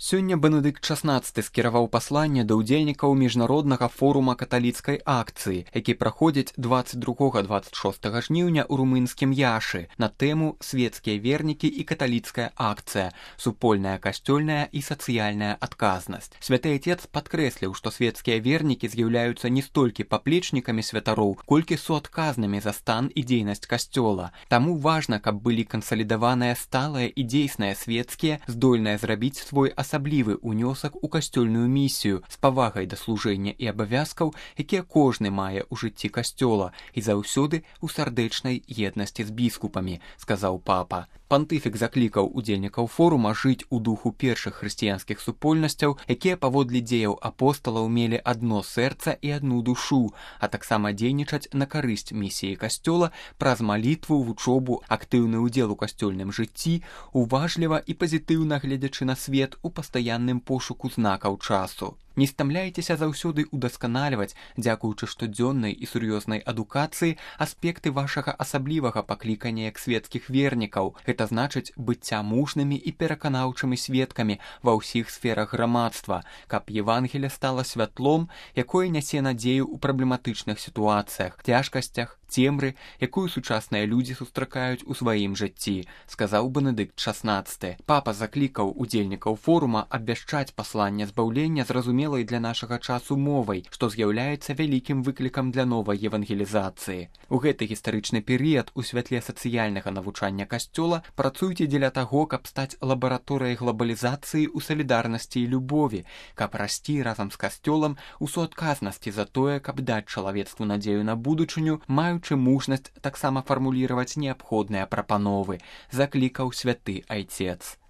Сёння Бенедыкт XVI скіраваў пасланне да ўдзельнікаў міжнароднага форума каталіцкай акцыі, які праходзіць 22-26 жніўня ў румынскім Яшы на тэму «Светскія вернікі і каталіцкая акцыя. Супольная касцёльная і сацыяльная адказнасць». Святы Отец падкрэсліў, што светскія вернікі з'яўляюцца не столькі паплечнікамі святароў, колькі суадказнымі за стан і дзейнасць касцёла. Таму важна, каб былі кансалідаваныя сталыя і дзейсныя свецкія, здольныя зрабіць свой асаблівы ўнёсак у касцёльную місію з павагай да служэння і абавязкаў, якія кожны мае ў жыцці касцёла і заўсёды ў сардэчнай еднасці з біскупамі, сказаў папа. Пантыфік заклікаў удзельнікаў форума жыць у духу першых хрысціянскіх супольнасцяў, якія паводле дзеяў апосталаў мелі адно сэрца і адну душу, а таксама дзейнічаць на карысць місіі касцёла праз малітву, вучобу, актыўны ўдзел у касцёльным жыцці, уважліва і пазітыўна гледзячы на свет у пастаянным пошуку знакаў часу. Не стамляйцеся заўсёды удасканальваць, дзякуючы штодзённай і сур'ёзнай адукацыі, аспекты вашага асаблівага паклікання як светскіх вернікаў. Гэта значыць быцця мужнымі і пераканаўчымі сведкамі ва ўсіх сферах грамадства, каб Евангелие стала святлом, якое нясе надзею ў праблематычных сітуацыях, цяжкасцях, цемры, якую сучасныя людзі сустракаюць у сваім жыцці, сказаў Бенедыкт XVI. Папа заклікаў удзельнікаў форума абвяшчаць пасланне збаўлення зразумелай для нашага часу мовай, што з'яўляецца вялікім выклікам для новай евангелізацыі. У гэты гістарычны перыяд у святле сацыяльнага навучання касцёла працуйце дзеля таго, каб стаць лабараторыяй глобалізацыі ў салідарнасці і любові, каб расці разам з касцёлам у суадказнасці за тое, каб даць чалавецтву надзею на будучыню, маючы мужнасць таксама фармуліраваць неабходныя прапановы, заклікаў святы Айцец.